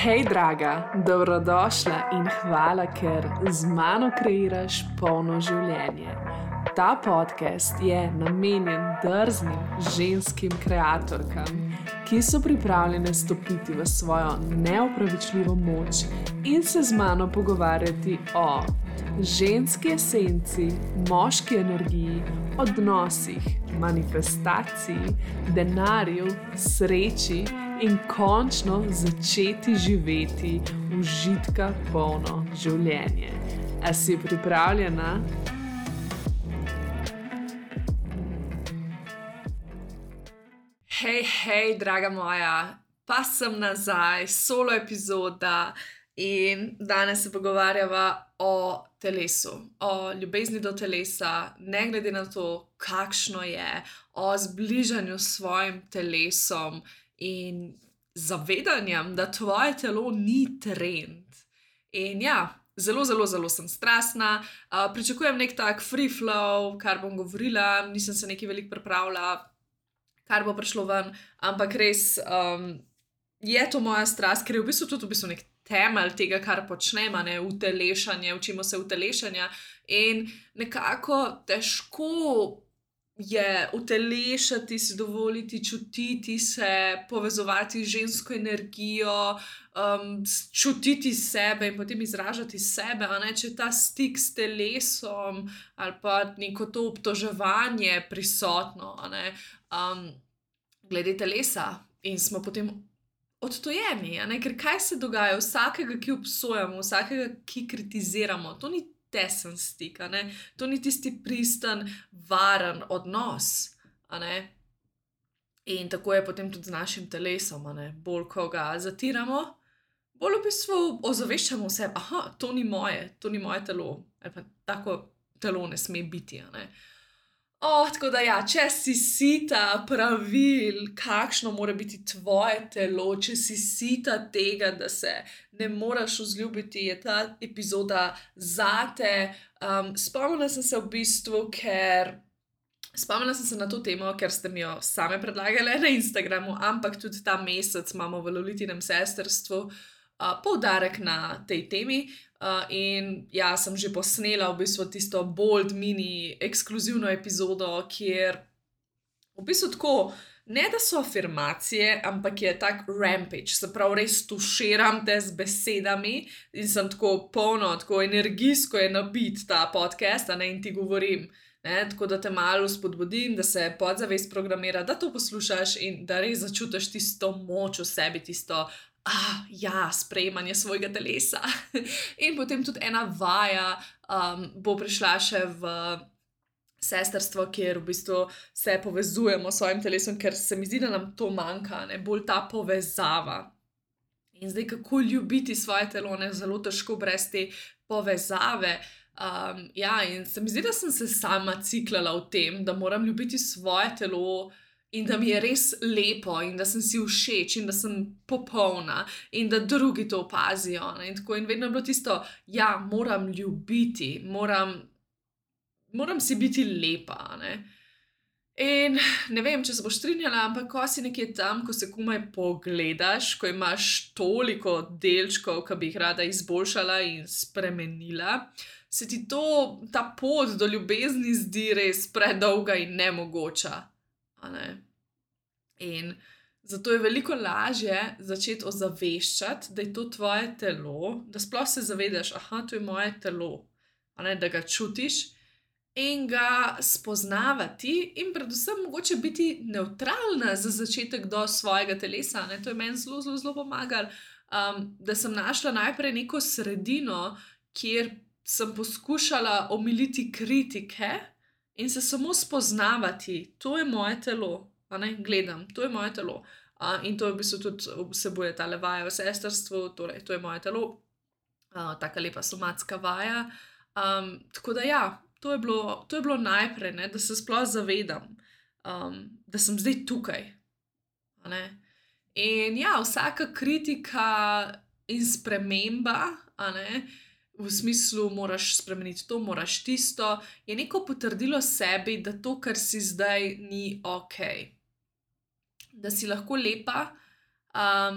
Hej, draga, dobrodošla in hvala, ker z mano kreiraš polno življenje. Ta podcast je namenjen drznim ženskim kreatorkam, ki so pripravljene stopiti v svojo neopravičljivo moč in se z mano pogovarjati o ženski esenci, moški energiji, odnosih, manifestaciji, denarju, sreči in končno začeti živeti užitka polno življenje. A si pripravljena? Hej, draga moja, pa sem nazaj, solo epizoda in danes se pogovarjava o telesu, o ljubezni do telesa, ne glede na to, kakšno je, o zbližanju s svojim telesom in zavedanjem, da tvoje telo ni trend. In ja, zelo sem strastna, pričakujem nek tak free flow, kar bom govorila, nisem se nekaj veliko pripravila, kar bo prišlo ven, ampak res je to moja strast, ker je v bistvu tudi nek temelj tega, kar počnemo, utelešanje, učimo se utelešanja in nekako težko je utelešati, si dovoliti, čutiti se, povezovati z žensko energijo, čutiti sebe in potem izražati sebe, če je ta stik s telesom ali pa neko to obtoževanje prisotno, glede telesa in smo potem odtojeni, ker kaj se dogaja? Vsakega, ki obsojamo, vsakega, ki kritiziramo, to ni tesen stik, to ni tisti pristen, varen odnos, In tako je potem tudi z našim telesom, Bolj, ko ga zatiramo, bolj v bistvu ozaveščamo vse, to ni moje telo, ali pa tako telo ne sme biti, Tako da ja, če si sita pravil, kakšno mora biti tvoje telo, če si sita tega, da se ne moraš vzljubiti, je ta epizoda zate. Spomnila sem se v bistvu, spomnila sem se na to temo, ker ste mi jo same predlagale na Instagramu, ampak tudi ta mesec imamo v Lolitinem sestrstvu poudarek na tej temi. In ja, sem že posnela v bistvu tisto bold mini ekskluzivno epizodo, kjer v bistvu tako, ne da so afirmacije, ampak je tak rampage, se pravi res tuširam te z besedami in sem tako polno, tako energijsko je nabit ta podcast, in ti govorim, tako da te malo spodbudim, da se podzavest programira, da to poslušaš in da res začutiš tisto moč v sebi, tisto sprejemanje svojega telesa. In potem tudi ena vaja bo prišla še v sestrstvo, kjer v bistvu se povezujemo s svojim telesom, ker se mi zdi, da nam to manjka, bolj ta povezava. In zdaj, kako ljubiti svoje telo, zelo težko brez te povezave. In se mi zdi, da sem se sama ciklala v tem, da moram ljubiti svoje telo in da mi je res lepo in da sem si všeč in da sem popolna in da drugi to opazijo. In tako, in vedno je bilo tisto, moram ljubiti, moram si biti lepa, In ne vem, če se boš strinjala, ampak ko si nekje tam, ko se komaj pogledaš, ko imaš toliko delčkov, ki bi jih rada izboljšala in spremenila, se ti ta pot do ljubezni zdi res predolga in nemogoča. In zato je veliko lažje začeti ozaveščati, da je to tvoje telo, da sploh se zavedaš, to je moje telo, da ga čutiš in ga spoznavati in predvsem mogoče biti nevtralna za začetek do svojega telesa. To je meni zelo pomagalo, da sem našla najprej neko sredino, kjer sem poskušala omiliti kritike in se samo spoznavati, to je moje telo, gledam, to je moje telo. In to v bistvu tudi vsebuje tale vaja v sestrstvu, torej to je moje telo, taka lepa somatska vaja. Tako da to je bilo najprej, da se sploh zavedam, da sem zdaj tukaj. In vsaka kritika in sprememba, v smislu moraš spremeniti to, moraš tisto, je neko potrdilo sebi, da to, kar si zdaj, ni okej. Da si lahko lepa,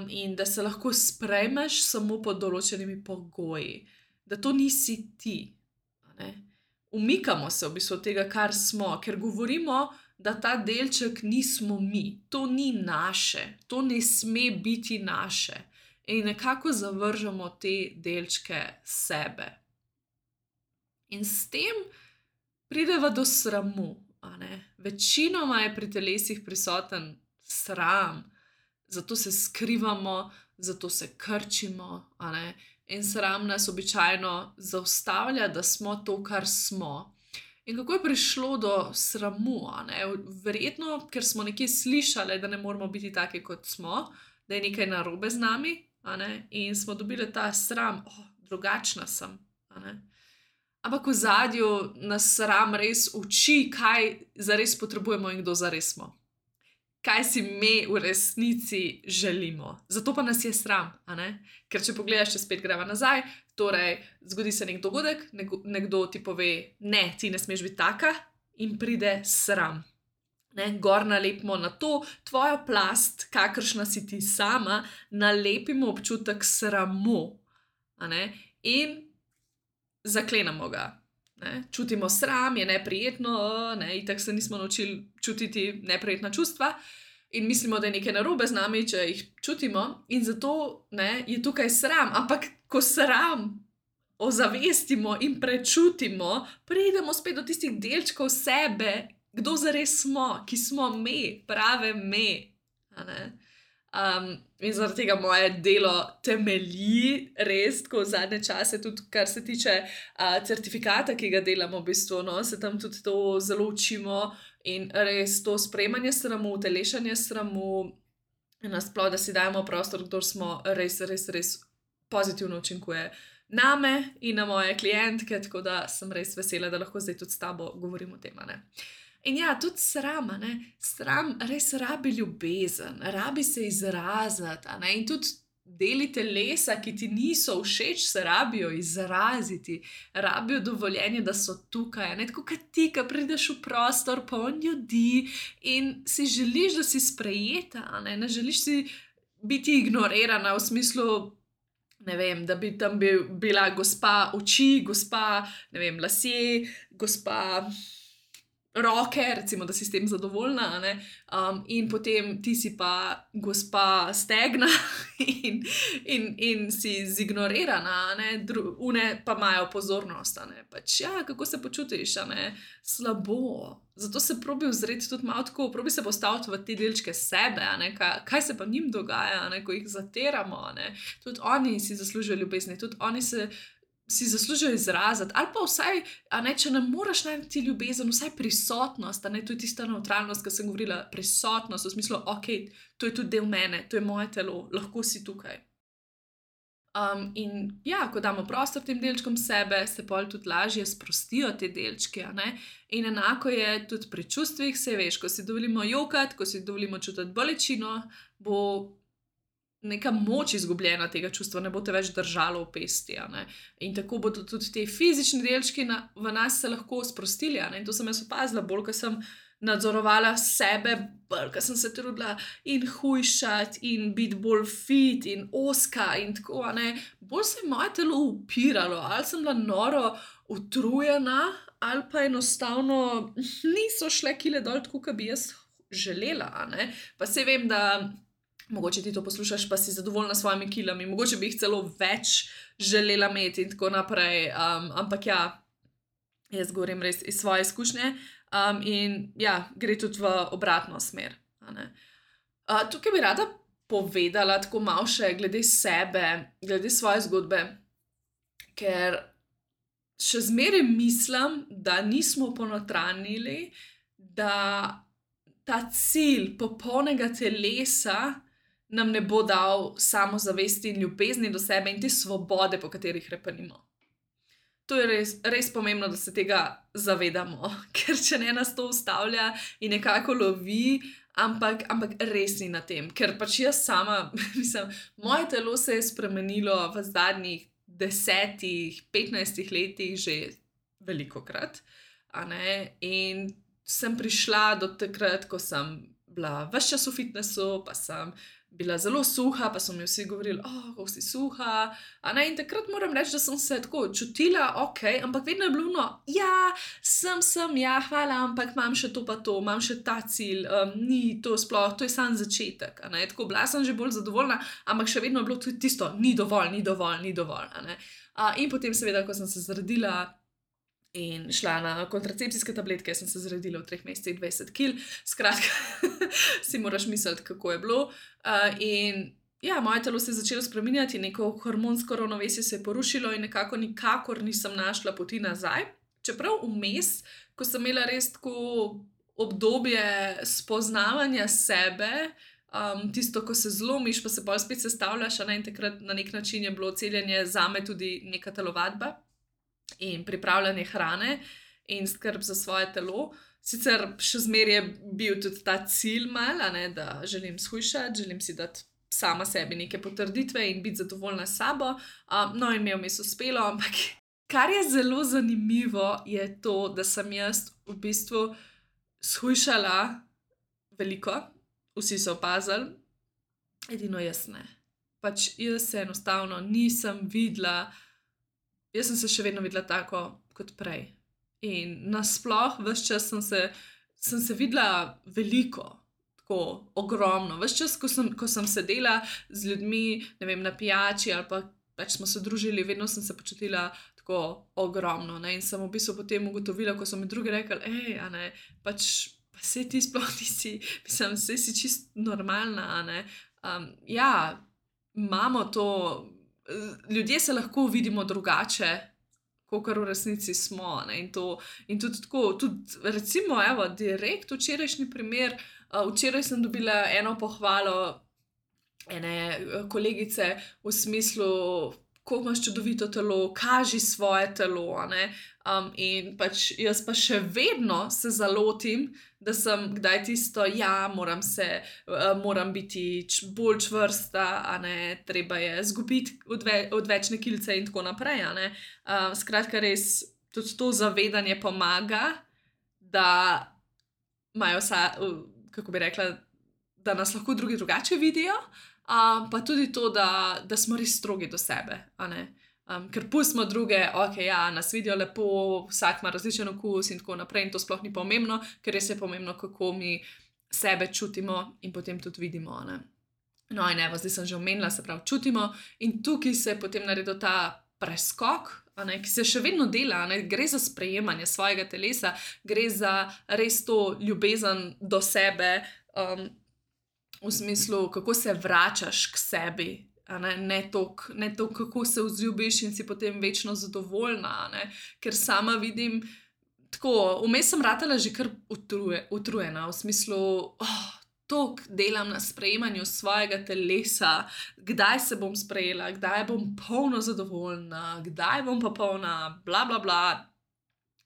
in da se lahko sprejmeš samo pod določenimi pogoji, da to nisi ti. Umikamo se v bistvu od tega, kar smo, ker govorimo, da ta delček nismo mi, to ni naše, to ne sme biti naše. In nekako zavržemo te delčke sebe. In s tem prideva do sramu. Večinoma je pri telesih prisoten sram, zato se skrivamo, zato se krčimo. In sram nas običajno zaustavlja, da smo to, kar smo. In kako je prišlo do sramu? Verjetno, ker smo nekje slišali, da ne moramo biti taki, kot smo, da je nekaj narobe z nami, in smo dobili ta sram, drugačna sem. Ampak v ozadju nas sram res uči, kaj zares potrebujemo in kdo zares smo. Kaj si mi v resnici želimo. Zato pa nas je sram. Ker če pogledaš, če spet greva nazaj, torej zgodi se nek dogodek, nekdo ti pove, ne, ti ne smeš biti taka, in pride sram. Gor nalepimo na to tvojo plast, kakršna si ti sama, nalepimo občutek sramu. In zaklenemo ga. Čutimo sram, je neprijetno, itak se nismo naučili čutiti neprijetna čustva in mislimo, da je nekaj narobe z nami, če jih čutimo, in zato je tukaj sram. Ampak ko sram ozavestimo in prečutimo, pridemo spet do tistih delčkov sebe, kdo zares smo, ki smo mi, prave mi. In zaradi tega moje delo temelji res, tako v zadnje čase, tudi kar se tiče certifikata, ki ga delamo, v bistvu, se tam tudi to zelo učimo in res to sprejemanje sramu, telešanje sramu, nasploh, da si dajemo prostor, kdor smo, res, res, res pozitivno učinkuje name in na moje klientke, tako da sem res vesela, da lahko zdaj tudi s tabo govorim o tem. In ja, tudi sram, sram res rabi ljubezen, rabi se izraziti, in tudi deli telesa, ki ti niso všeč, se rabijo izraziti, rabijo dovoljenje, da so tukaj, tako kot ti, ki prideš v prostor, poln ljudi in si želiš, da si sprejeta, ne želiš si biti ignorirana v smislu, ne vem, da bi tam bila gospa oči, gospa, ne vem, lasje, gospa roke, recimo, da si s tem zadovoljna, in potem ti si pa gospa stegna in si zignorirana, une pa imajo pozornost, pač ja, kako se počutiš, slabo. Zato se probi ozreti tudi malo tako, probi se postaviti v te delčke sebe, kaj se pa njim dogaja, ko jih zatiramo, tudi oni si zaslužijo ljubezni, tudi oni si zaslužijo izraziti, ali pa vsaj, če ne moreš najti ljubezen, vsaj prisotnost, to je tista nevtralnost, ki sem govorila, prisotnost, v smislu, ok, to je tudi del mene, to je moje telo, lahko si tukaj. In ja, ko damo prostor tem delčkom sebe, se potem tudi lažje sprostijo te delčke, in enako je tudi pri čustvih, saj veš, ko si dovolimo jokati, ko si dovolimo čutiti bolečino, bo neka moč izgubljena tega čustva, ne bo te več držalo v pesti. In tako bodo tudi te fizični delčki v nas se lahko sprostili. In to sem jaz opazila, bolj, ko sem nadzorovala sebe, bolj, ko sem se trudila in hujšati in biti bolj fit in ozka in tako, bolj se je moje telo upiralo, ali sem bila noro utrujena, ali pa enostavno niso šle kile dol, tako, kot bi jaz želela. Pa saj vem, da mogoče ti to poslušaš, pa si zadovoljna s svojimi kilami, mogoče bi jih celo več želela imeti in tako naprej, ampak ja, jaz govorim res iz svoje izkušnje, in ja, gre tudi v obratno smer. Tukaj bi rada povedala tako malo še glede sebe, glede svoje zgodbe, ker še zmeraj mislim, da nismo ponotranjili, da ta cilj popolnega telesa nam ne bo dal samozavesti in ljubezni do sebe in te svobode, po katerih repenimo. To je res, res pomembno, da se tega zavedamo, ker če ne, nas to ustavlja in nekako lovi, ampak res ni na tem, ker pač jaz sama, mislim, moje telo se je spremenilo v zadnjih 10-15 letih že velikokrat, in sem prišla do takrat, ko sem bila ves čas v fitnessu, pa sem bila zelo suha, pa so mi vsi govorili, kako si suha. In takrat moram reči, da sem se tako čutila, ok, ampak vedno je bilo, ja, sem, ja, hvala, ampak imam še to pa to, imam še ta cilj, ni to sploh, to je sam začetek. Tako bila sem že bolj zadovoljna, ampak še vedno je bilo tudi tisto, ni dovolj. In potem seveda, ko sem se zredila in šla na kontracepcijske tabletke, sem se zredila v 3 mesecih 20 kg, skratka, si moraš misliti, kako je bilo. In ja, moje telo se je začelo spreminjati, neko hormonsko ravnovesje se je porušilo in nikakor nisem našla poti nazaj. Čeprav vmes, ko sem imela res tako obdobje spoznavanja sebe, tisto, ko se zlomiš, pa se bolj spet sestavljaš, in takrat na nek način je bilo celjenje zame tudi neka telovadba in pripravljanje hrane in skrb za svoje telo. Sicer še zmeraj je bil tudi ta cilj da želim shujšati, želim si dati sama sebi neke potrditve in biti zadovoljna s sabo. In mi je vmes uspelo, ampak kar je zelo zanimivo, je to, da sem jaz v bistvu shujšala veliko, vsi so opazili, edino jaz ne. Jaz se enostavno nisem videla, jaz sem se še vedno videla tako kot prej. In nasploh, ves čas sem se videla veliko, tako ogromno. Ves čas, ko sem sedela z ljudmi, ne vem, na pijači ali pa smo se družili, vedno sem se počutila tako ogromno. In sem v bistvu potem ugotovila, ko so mi drugi rekli, pa saj ti sploh nisi, mislim, saj si čist normalna, ja, imamo to, ljudje se lahko vidimo drugače, kakor v resnici smo, in tudi tako, tudi recimo, evo, direkt včerajšnji primer, včeraj sem dobila eno pohvalo ene kolegice v smislu, kako imaš čudovito telo, kaži svoje telo, in jaz pa še vedno se zalotim, da sem kdaj tisto, ja, moram biti bolj čvrsta, treba je zgubiti odvečne kilce in tako naprej, Skratka, res tudi to zavedanje pomaga, da imajo kako bi rekla, da nas lahko drugi drugače vidijo, pa tudi to, da smo res strogi do sebe, ker pustimo druge, ja, nas vidijo lepo, vsak ima različen okus in tako naprej in to sploh ni pomembno, ker res je pomembno, kako mi sebe čutimo in potem tudi vidimo, in evo, zdaj sem že omenila, se pravi, čutimo in tukaj se je potem naredil ta preskok, ki se še vedno dela, gre za sprejemanje svojega telesa, gre za res to ljubezen do sebe, v smislu, kako se vračaš k sebi, ne to, kako se vzljubiš in si potem večno zadovoljna, ker sama vidim, tako, vmes sem ratala že kar utrujena, v smislu, toliko delam na sprejemanju svojega telesa, kdaj se bom sprejela, kdaj bom polno zadovoljna, kdaj bom pa polna, bla, bla, bla.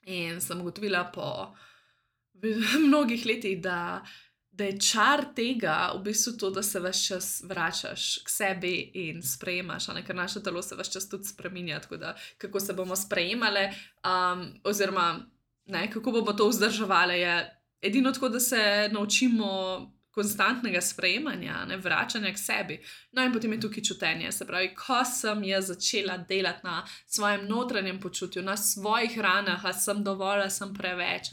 In sem ugotovila po mnogih letih, da je čar tega v bistvu to, da se ves čas vračaš k sebi in sprejemaš, ker naše telo se ves čas tudi spreminja, tako da kako se bomo sprejemale, oziroma kako bomo to vzdrževali, je edino tako, da se naučimo konstantnega sprejemanja, vračanja k sebi. In potem je tukaj čutenje, se pravi, ko sem jaz začela delati na svojem notranjem počutju, na svojih ranah, a sem dovolj, a sem preveč,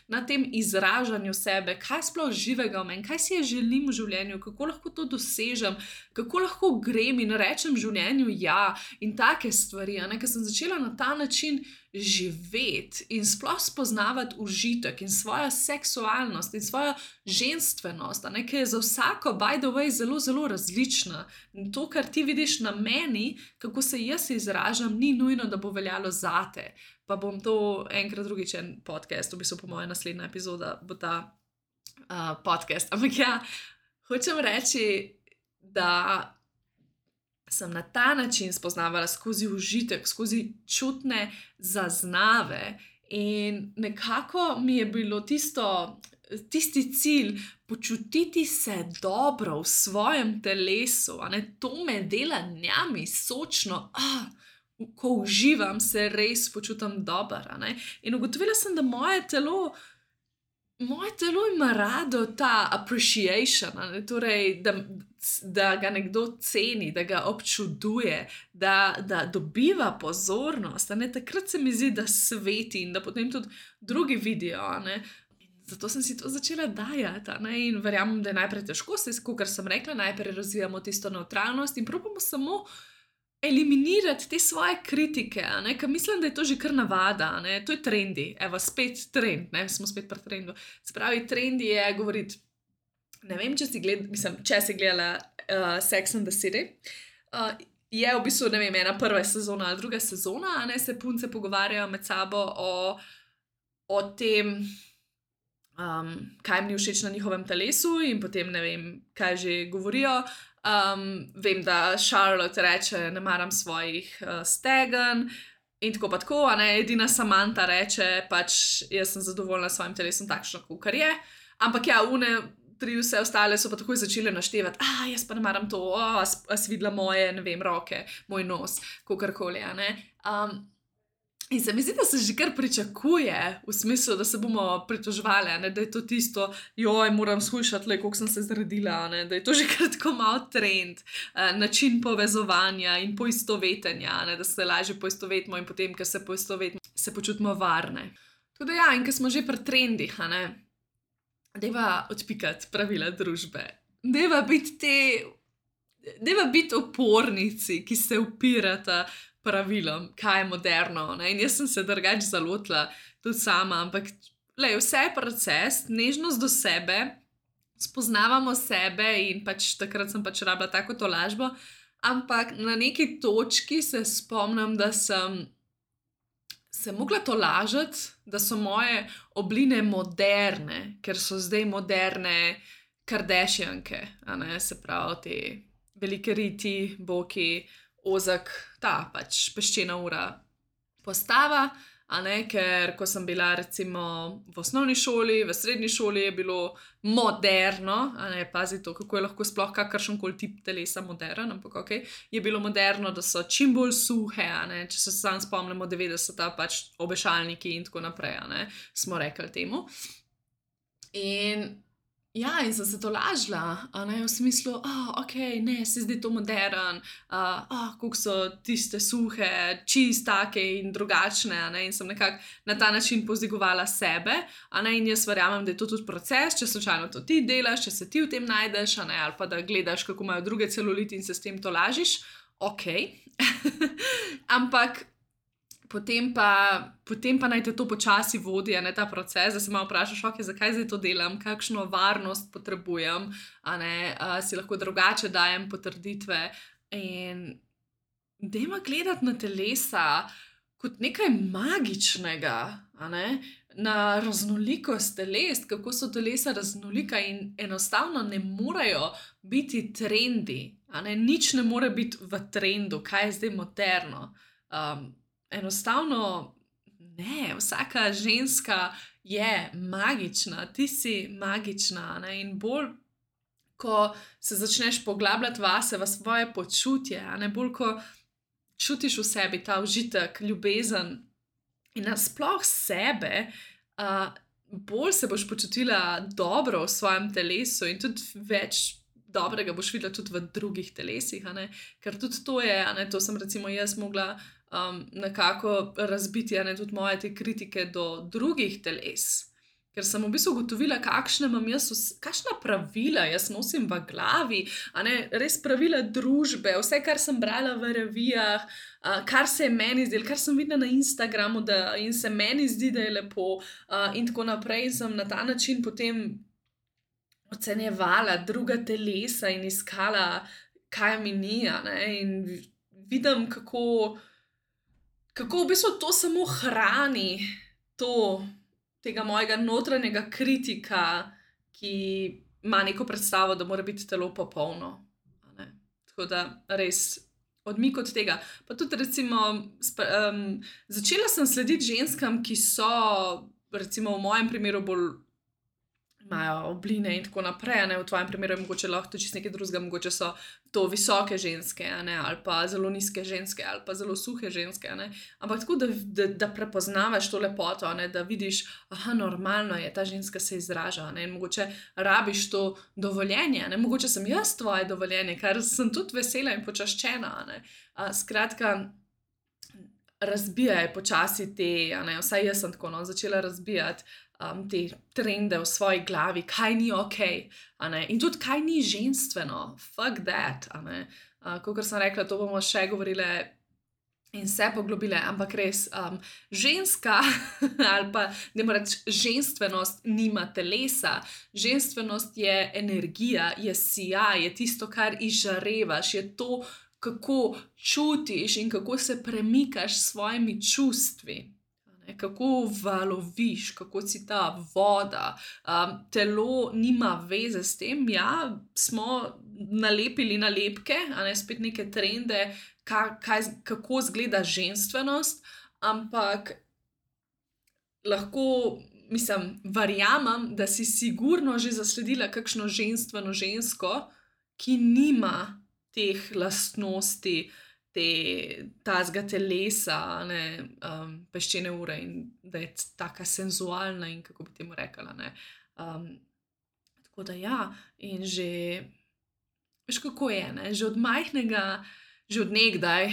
na tem izražanju sebe, kaj sploh živega v meni, kaj si želim v življenju, kako lahko to dosežem, kako lahko grem in rečem v življenju ja, in take stvari, ker sem začela na ta način živeti in sploh spoznavati užitek in svojo seksualnost in svojo ženstvenost, ki je za vsako, by the way, zelo, zelo različna. In to, kar ti vidiš na meni, kako se jaz izražam, ni nujno, da bo veljalo zate. Pa bom to enkrat drugič en podcast, v bistvu po moja naslednja epizoda bo ta podcast. Ampak ja, hočem reči, da sem na ta način spoznavala skozi užitek, skozi čutne zaznave in nekako mi je bilo tisti cilj počutiti se dobro v svojem telesu, to me dela njami sočno, ko uživam, se res počutim dobro, in ugotovila sem, da moje telo Moje telo ima rado ta appreciation, torej, da ga nekdo ceni, da ga občuduje, da dobiva pozornost. Takrat se mi zdi, da sveti in da potem tudi drugi vidijo. Zato sem si to začela dajati. In verjamem, da je najprej težko, kot sem rekla, najprej razvijamo tisto nevtralnost in probamo samo eliminirati te svoje kritike, ker mislim, da je to že kar navada, to je trendi, evo, spet trend, smo spet pri trendu. Se pravi, trendi je govoriti, ne vem, če si gledala Sex and the City, je v bistvu, ne vem, ena prva sezona ali druga sezona, se punce pogovarjajo med sabo o tem, kaj jim ni všeč na njihovem telesu in potem ne vem, kaj že govorijo. Vem, da Charlotte reče, ne maram svojih stegen in tako pa tako, edina Samantha reče, pač jaz sem zadovoljna s svojim telesom takšno, kakor je, ampak ja, tri vse ostale so pa takoj začele naštevati, jaz pa ne maram to, a si videla moje, ne vem, roke, moj nos, kakorkoli, in se mi zdi, da se že kar pričakuje, v smislu, da se bomo pritoževali, da je to tisto, joj, moram shujšati, koliko sem se zredila, da je to že kar tako mal trend, način povezovanja in poistovetenja, da se lažje poistovetimo in potem, ker se poistovetimo, se počutimo varne. Tudi ja, in ker smo že pri trendih, dajva odpikati pravila družbe, dajva biti opornici, ki se upirata pravilom, kaj je moderno. In jaz sem se drugače zalotila tudi sama, ampak vse je proces, nežnost do sebe, spoznavamo sebe in pač takrat sem pač rabila tako tolažbo, ampak na neki točki se spomnim, da sem se mogla tolažiti, da so moje obline moderne, ker so zdaj moderne Kardashianke, se pravi te velike riti, boki, ozek, ta pač peščena ura postava, ker ko sem bila recimo v osnovni šoli, v srednji šoli je bilo moderno, pazi to, kako je lahko sploh kakršenkoli tip telesa modern, ampak okej, je bilo moderno, da so čim bolj suhe, če se sam spomnimo 90-ta, pač obešalniki in tako naprej, smo rekli temu. In ja, in sem se tolažila, v smislu, okej, ne, se zdi to modern, koliko so tiste suhe, take in drugačne, in sem nekako na ta način povzdigovala sebe, in jaz verjamem, da je to tudi proces, če slučajno to ti delaš, če se ti v tem najdeš, ali pa da gledaš, kako imajo druge celuliti in se s tem tolažiš, okej. Ampak potem pa naj te to počasi vodi, ta proces, da se malo vprašaš, zakaj zdaj to delam, kakšno varnost potrebujem, si lahko drugače dajem potrditve in dajmo gledati na telesa kot nekaj magičnega, na raznolikost teles, kako so telesa raznolika in enostavno ne morejo biti trendi, nič ne more biti v trendu, kaj je zdaj moderno. Enostavno ne, vsaka ženska je magična, ti si magična, in bolj, ko se začneš poglabljati vase, v svoje počutje, bolj, ko čutiš v sebi ta užitek, ljubezen in nasploh sebe, bolj se boš počutila dobro v svojem telesu in tudi več dobrega boš videla tudi v drugih telesih, ker tudi to je, to sem recimo jaz mogla nekako razbiti, tudi moje te kritike do drugih teles, ker sem v bistvu ugotovila, kakšna pravila jaz nosim v glavi, res pravila družbe, vse, kar sem brala v revijah, kar se je meni zdelo, kar sem videla na Instagramu in se meni zdi, da je lepo, in tako naprej, in sem na ta način potem ocenjevala druga telesa in iskala, kaj mi ni, in vidim, kako v bistvu to samo hrani tega mojega notranjega kritika, ki ima neko predstavo, da mora biti telo popolno. Tako da res odmik od tega. Pa tudi recimo začela sem slediti ženskam, ki so recimo v mojem primeru bolj imajo obline in tako naprej. V tvojem primeru je mogoče lahko to čisto nekaj drugega, mogoče so to visoke ženske, ali pa zelo nizke ženske, ali pa zelo suhe ženske. Ampak tako, da prepoznavaš to lepoto, da vidiš, normalno je, ta ženska se izraža. In mogoče rabiš to dovoljenje, mogoče sem jaz tvoje dovoljenje, kar sem tudi vesela in počaščena. Skratka, razbijaj počasi te, vsaj jaz sem tako začela razbijati te trende v svoji glavi, kaj ni ok, in tudi kaj ni ženstveno, fuck that. Kakor sem rekla, to bomo še govorile in se poglobile, ampak res, ženska ali pa, dajmo reči, ženstvenost nima telesa, ženstvenost je energija, je sijaj, je tisto, kar izžarevaš, je to, kako čutiš in kako se premikaš s svojimi čustvi. Kako valoviš, kako si ta voda. Telo nima veze s tem. Ja, smo nalepili nalepke, spet neke trende, kako izgleda ženstvenost, ampak lahko, verjamem, da si sigurno že zasledila kakšno ženstveno žensko, ki nima teh lastnosti, tazga telesa, peščene ure in da je taka senzualna in kako bi temu rekla. Tako da ja, in že, veš kako je, že od majhnega, že od nekdaj,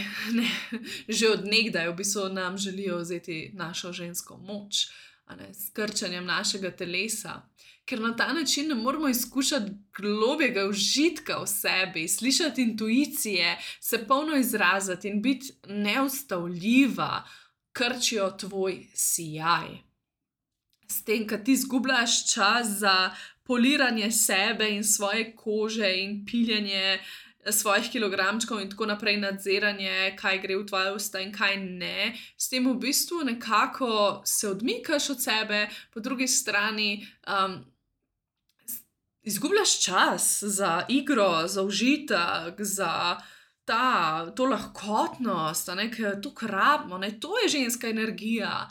že od nekdaj v bistvu nam želijo vzeti našo žensko moč, s krčanjem našega telesa, ker na ta način ne moramo izkušati globjega užitka v sebi, slišati intuicije, se polno izraziti in biti neustavljiva, krčijo tvoj sijaj. S tem, ko ti izgubljaš čas za poliranje sebe in svoje kože in piljenje svojih kilogramčkov in tako naprej, nadziranje, kaj gre v tvoje usta in kaj ne, s tem v bistvu nekako se odmikaš od sebe, po drugi strani izgubljaš čas za igro, za užitek, za to lahkotnost, ker to rabimo, to je ženska energija.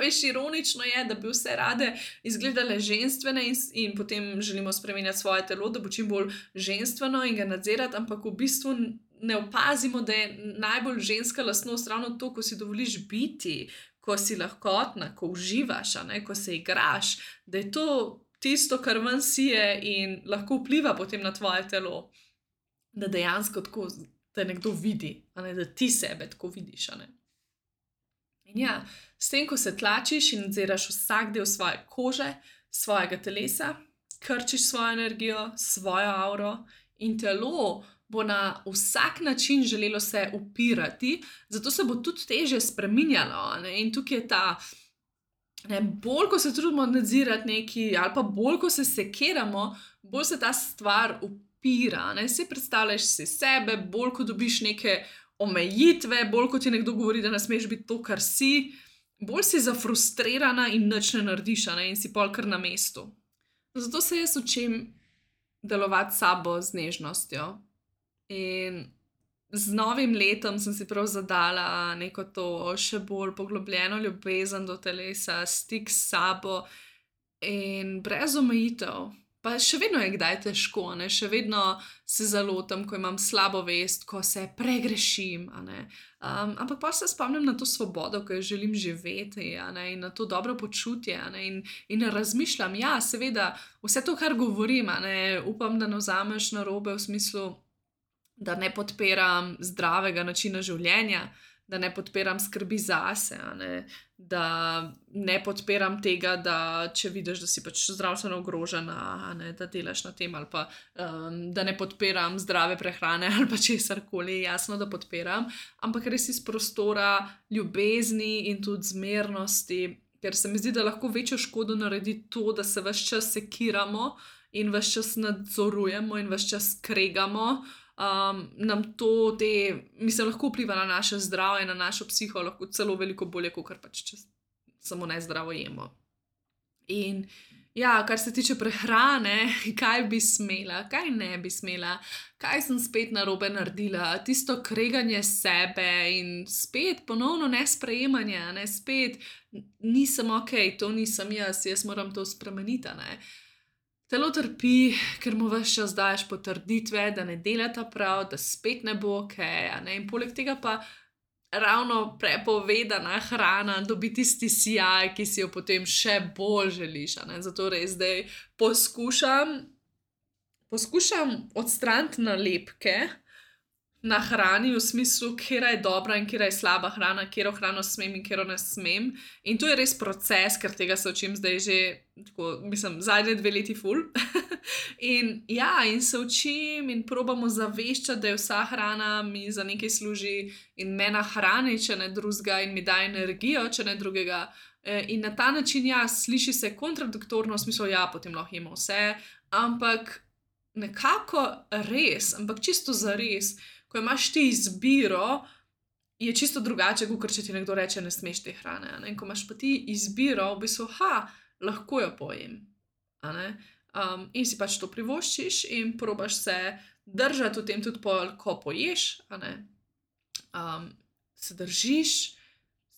Veš, ironično je, da bi vse rade izgledale ženstvene in potem želimo spremenjati svoje telo, da bo čim bolj ženstveno in ga nadzirati, ampak v bistvu ne opazimo, da je najbolj ženska lastnost ravno to, ko si dovoliš biti, ko si lahkotna, ko uživaš, ko se igraš, da je to tisto, kar ven sije in lahko vpliva potem na tvoje telo. Da dejansko tako te nekdo vidi, da ti sebe tako vidiš. In ja, s tem, ko se tlačiš in nadziraš vsak del svoje kože, svojega telesa, krčiš svojo energijo, svojo auro in telo bo na vsak način želelo se upirati, zato se bo tudi težje spreminjalo. In tukaj je ta, bolj ko se trudimo nadzirati nekaj ali pa bolj ko se sekiramo, bolj se ta stvar upira. Si predstavljaš si sebe, bolj ko dobiš neke omejitve, bolj ko ti nekdo govori, da ne smeš biti to, kar si, bolj si zafrustrirana in nič ne narediš, in si pol kar na mestu. Zato se jaz učim delovati s sabo z nežnostjo. In z novim letom sem si prav zadala neko to še bolj poglobljeno ljubezen do telesa, stik s sabo in brez omejitev. Pa še vedno je kdaj težko, še vedno se zalotam, ko imam slabo vest, ko se pregrešim. Ampak pa se spomnim na to svobodo, ko jo želim živeti, in na to dobro počutje. In razmišljam, ja, seveda, vse to, kar govorim, upam, da ne vzameš narobe v smislu, da ne podpiram zdravega načina življenja, da ne podpiram skrbi zase, da ne podpiram tega, da če vidiš, da si pač zdravstveno ogrožena, da delaš na tem, ali pa da ne podpiram zdrave prehrane ali pa česarkoli, jasno, da podpiram, ampak res iz prostora ljubezni in tudi zmernosti, ker se mi zdi, da lahko večjo škodo naredi to, da se ves čas sekiramo in ves čas nadzorujemo in ves čas kregamo. Nam to lahko vpliva na naše zdravje, na našo psiho, lahko celo veliko bolje, kot pač če samo nezdravo jemo. In ja, kar se tiče prehrane, kaj bi smela, kaj ne bi smela, kaj sem spet narobe naredila, tisto kreganje sebe in spet ponovno nesprejemanje, spet nisem ok, to nisem jaz moram to spremeniti. telo trpi, ker mu ves čas daješ potrditve, da ne delata prav, da spet ne bo ok, in poleg tega pa ravno prepovedana hrana dobi tisti sijaj, ki si jo potem še bolj želiš, zato res zdaj poskušam odstraniti nalepke na hrani v smislu, katera je dobra in katera je slaba hrana, katero hrano smem in katero ne smem. In to je res proces, ker tega se učim zdaj že, zadnje 2 leti ful. In se učim in probam ozaveščati, da je vsa hrana mi za nekaj služi in me nahrani, če ne drugega, in mi daje energijo, če ne drugega. In na ta način, sliši se kontradiktorno, v smislu, potem lahko jemo vse, ampak nekako res, ampak čisto zares, ko imaš ti izbiro, je čisto drugače, kot če ti nekdo reče, ne smeš te hrane. In ko imaš pa ti izbiro, v bistvu, lahko jo pojem. In si pač to privoščiš in probaš se držati v tem tudi, ko poješ. Se držiš,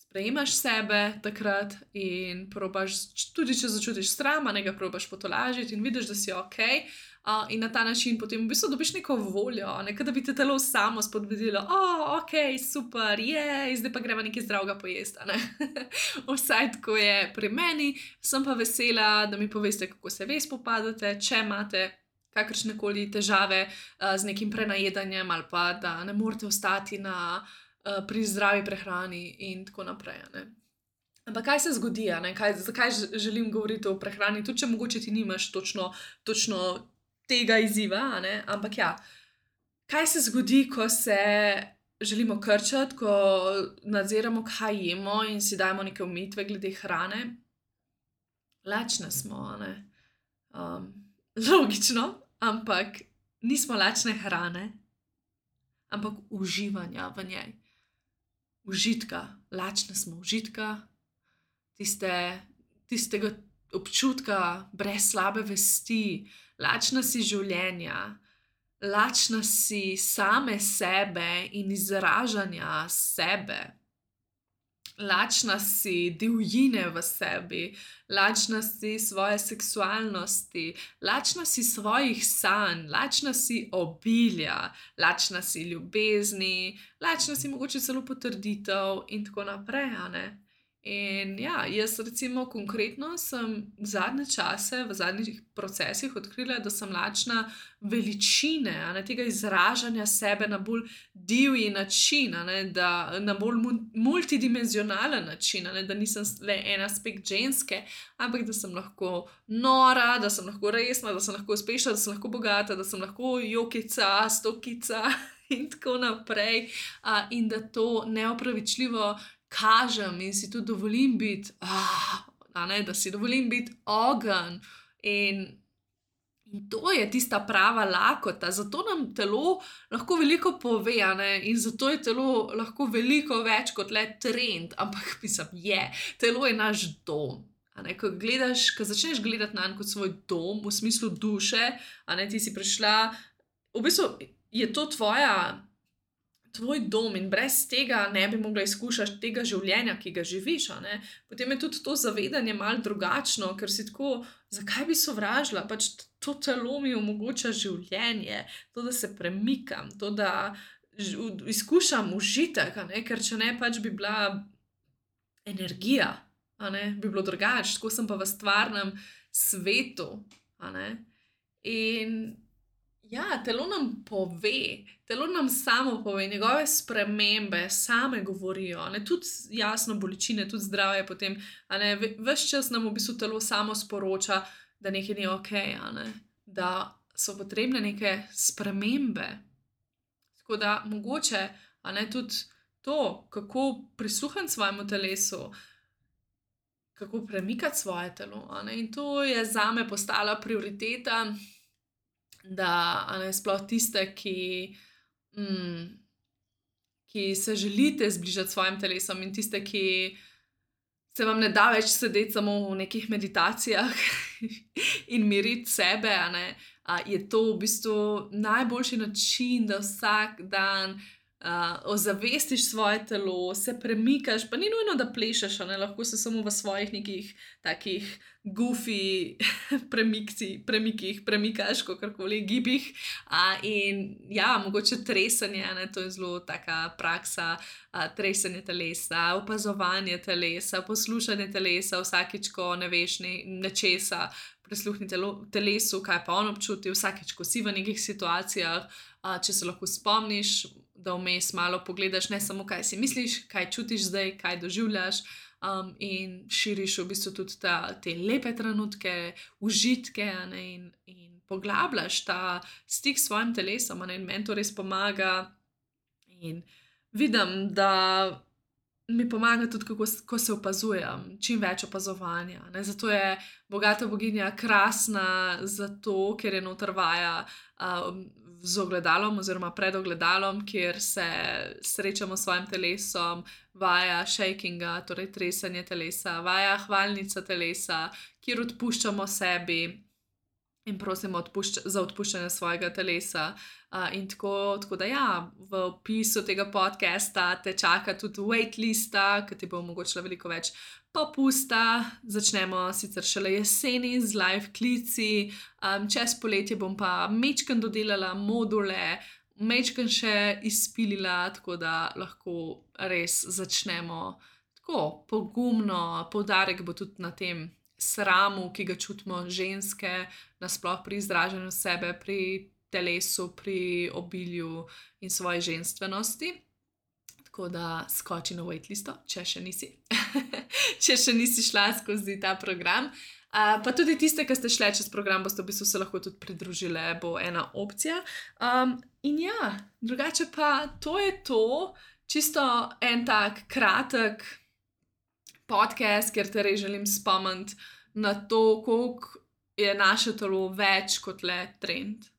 sprejemaš sebe takrat in probaš, tudi če začutiš sram, ga probaš potolažiti in vidiš, da si ok. In na ta način potem v bistvu dobiš neko voljo, da bi te telo samo spodbudilo, ok, super, zdaj pa gremo nekaj zdravega pojesti. Vsaj tako je pri meni, sem pa vesela, da mi poveste, kako se vi spopadate, če imate kakršnekoli težave z nekim prenajedanjem ali pa da ne morete ostati pri zdravi prehrani in tako naprej. Ampak kaj se zgodi, zakaj želim govoriti o prehrani, tudi če mogoče ti nimaš točno tega izziva, ampak kaj se zgodi, ko se želimo krčati, ko nadziramo, kaj jemo in si dajemo neke omejitve glede hrane? Lačne smo, logično, ampak nismo lačne hrane, ampak uživanja v njej. Užitka, lačne smo užitka, tistega občutka brez slabe vesti, lačna si življenja, lačna si same sebe in izražanja sebe. Lačna si divjine v sebi, lačna si svoje seksualnosti, lačna si svojih sanj, lačna si obilja, lačna si ljubezni, lačna si mogoče celo potrditev in tako naprej, In jaz recimo konkretno sem zadnje čase, v zadnjih procesih odkrila, da sem lačna veličine, tega izražanja sebe na bolj divji način, na bolj multidimenzionalen način, da nisem le en aspekt ženske, ampak da sem lahko nora, da sem lahko resna, da sem lahko uspešna, da sem lahko bogata, da sem lahko jokica, stokica in tako naprej. In da to neopravičljivo kažem in si tudi dovolim biti, da si dovolim biti ogenj. In to je tista prava lakota, zato nam telo lahko veliko pove, in zato je telo lahko veliko več kot le trend, ampak telo je naš dom. Ko začneš gledati nanj kot svoj dom, v smislu duše, ti si prišla, v bistvu je to tvoj dom in brez tega ne bi mogla izkušati tega življenja, ki ga živiš. Potem je tudi to zavedanje malo drugačno, ker si tako, zakaj bi sovražila, pač to telo mi omogoča življenje, to, da se premikam, to, da izkušam užitek, ker če ne, pač bi bila energija, bi bilo drugače, tako sem pa v stvarnem svetu. In telo nam telo nam samo pove, njegove spremembe same govorijo, tudi jasno bolečine, tudi zdravje potem, ves čas nam v bistvu telo samo sporoča, da nekaj ni ok, da so potrebne neke spremembe. Tako da mogoče, tudi to, kako prisluhniti svojemu telesu, kako premikati svoje telo, in to je zame postala prioriteta, da sploh tiste, ki se želite zbližati s svojim telesom in tiste, ki se vam ne da več sedeti samo v nekih meditacijah in miriti sebe, je to v bistvu najboljši način, da vsak dan ozavestiš svoje telo, se premikaš, pa ni nujno, da plešeš, lahko se samo v svojih nekih takih goofy premikih, premikaš, kakorkoli, gibih. In ja, mogoče tresanje, to je zelo taka praksa, tresanje telesa, opazovanje telesa, poslušanje telesa, vsakič, ko ne veš nečesa, prisluhni telesu, kaj pa on občuti, vsakič, ko si v nekih situacijah, če se lahko spomniš, da vmes malo pogledaš, ne samo kaj si misliš, kaj čutiš zdaj, kaj doživljaš, in širiš v bistvu tudi te lepe trenutke, užitke, in poglabljaš ta stik s svojim telesom, in meni to res pomaga. In vidim, da mi pomaga tudi, ko se opazujem, čim več opazovanja. Zato je bogata boginja krasna, zato ker je noter vaja z ogledalom oziroma pred ogledalom, kjer se srečamo s svojim telesom, vaja shakinga, torej tresanje telesa, vaja hvalnica telesa, kjer odpuščamo sebi in prosimo za odpuščanje svojega telesa. In tako da ja, v opisu tega podcasta te čaka tudi waitlista, ki ti bo omogočila veliko več popusta. Začnemo sicer šele jeseni z live klici, čez poletje bom pa majčkeno dodelala module, majčkeno še izpilila, tako da lahko res začnemo tako pogumno. Poudarek bo tudi na tem sramu, ki ga čutimo ženske, nasploh pri izražanju sebe, pri telesu, pri obilju in svoji ženstvenosti. Tako da skoči na waitlisto, če še nisi. Če še nisi šla skozi ta program. Pa tudi tiste, ki ste šle čez program, boste v bistvu se lahko tudi pridružile, bo ena opcija. In ja, drugače pa to je to. Čisto en tak kratek podcast, kjer te res želim spomniti na to, koliko je naše telo več kot le trend.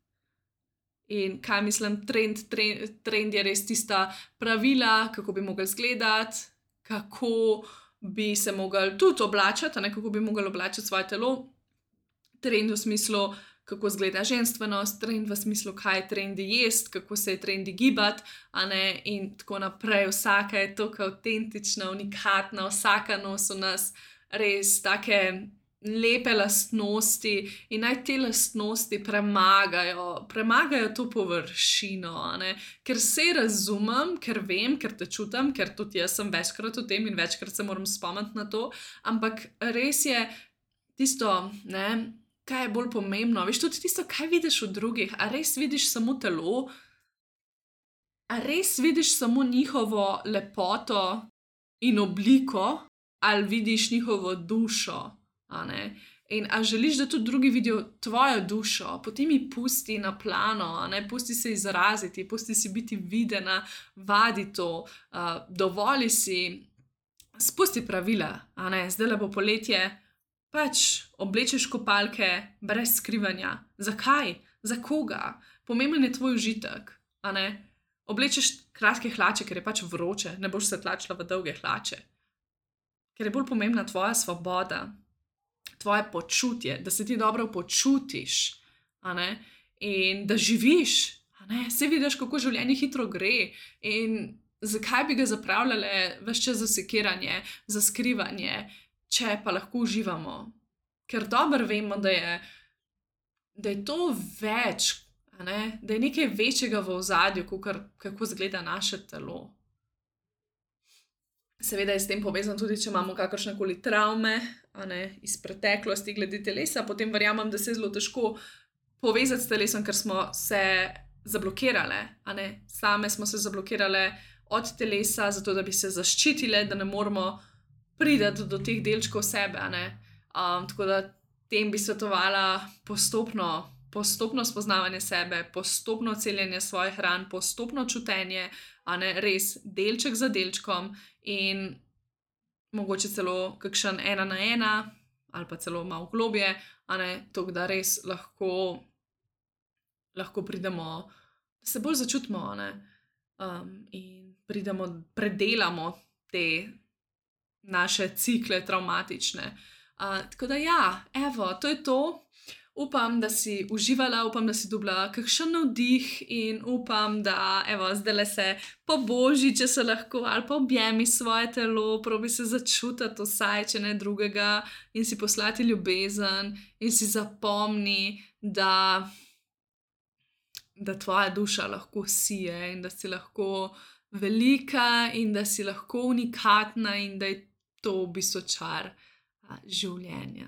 In kaj mislim, trend je res tista pravila, kako bi mogli izgledati, kako bi se mogli tudi oblačiti, kako bi mogli oblačiti svoje telo. Trend v smislu, kako izgleda ženstvenost, trend v smislu, kaj je trendi jesti, kako se je trendi gibati, in tako naprej. Vsaka je tako avtentična, unikatna, vsaka nosi v nas res take lepe lastnosti in naj te lastnosti premagajo to površino, ker se razumem, ker vem, ker te čutim, ker tudi jaz sem večkrat v tem in večkrat se moram spomniti na to, ampak res je tisto, kaj je bolj pomembno, veš, tudi tisto, kaj vidiš v drugih, a res vidiš samo telo, a res vidiš samo njihovo lepoto in obliko, ali vidiš njihovo dušo. In a želiš, da tudi drugi vidijo tvojo dušo, potem ji pusti na plano, pusti se izraziti, pusti si biti videna, vadi to, dovoli si, spusti pravila, zdajle bo poletje, pač oblečeš kopalke brez skrivanja. Zakaj? Za koga? Pomemben je tvoj užitek, Oblečeš kratke hlače, ker je pač vroče, ne boš se tlačila v dolge hlače. Ker je bolj pomembna tvoja svoboda, tvoje počutje, da se ti dobro počutiš, in da živiš, Saj vidiš, kako življenje hitro gre in zakaj bi ga zapravljale ves čas za sekiranje, za skrivanje, če pa lahko uživamo. Ker dobro vemo, da je to več, da je nekaj večjega v ozadju, kako izgleda naše telo. Seveda je s tem povezano tudi, če imamo kakršnekoli travme, iz preteklosti glede telesa, potem verjamem, da se je zelo težko povezati s telesom, ker smo se zablokirale, Same smo se zablokirale od telesa, zato da bi se zaščitile, da ne moremo priti do teh delčkov sebe, Tako da tem bi svetovala postopno spoznavanje sebe, postopno celjenje svojih ran, postopno čutenje, res delček za delčkom in mogoče celo kakšen 1 na 1 ali pa celo malo globje, tako da res lahko pridemo, da se bolj začutimo, in predelamo te naše cikle travmatične. Tako da ja, evo, to je to. Upam, da si uživala, upam, da si dobila kakšen navdih in upam, da zdaj se po božji, če se lahko, ali pa objemi svoje telo, probi se začutiti vsaj, če ne drugega, in si poslati ljubezen in si zapomni, da tvoja duša lahko sije in da si lahko velika in da si lahko unikatna in da je to v bistvu čar življenja.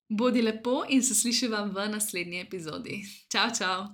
Bodi lepo in se slišiva v naslednji epizodi. Čau, čau!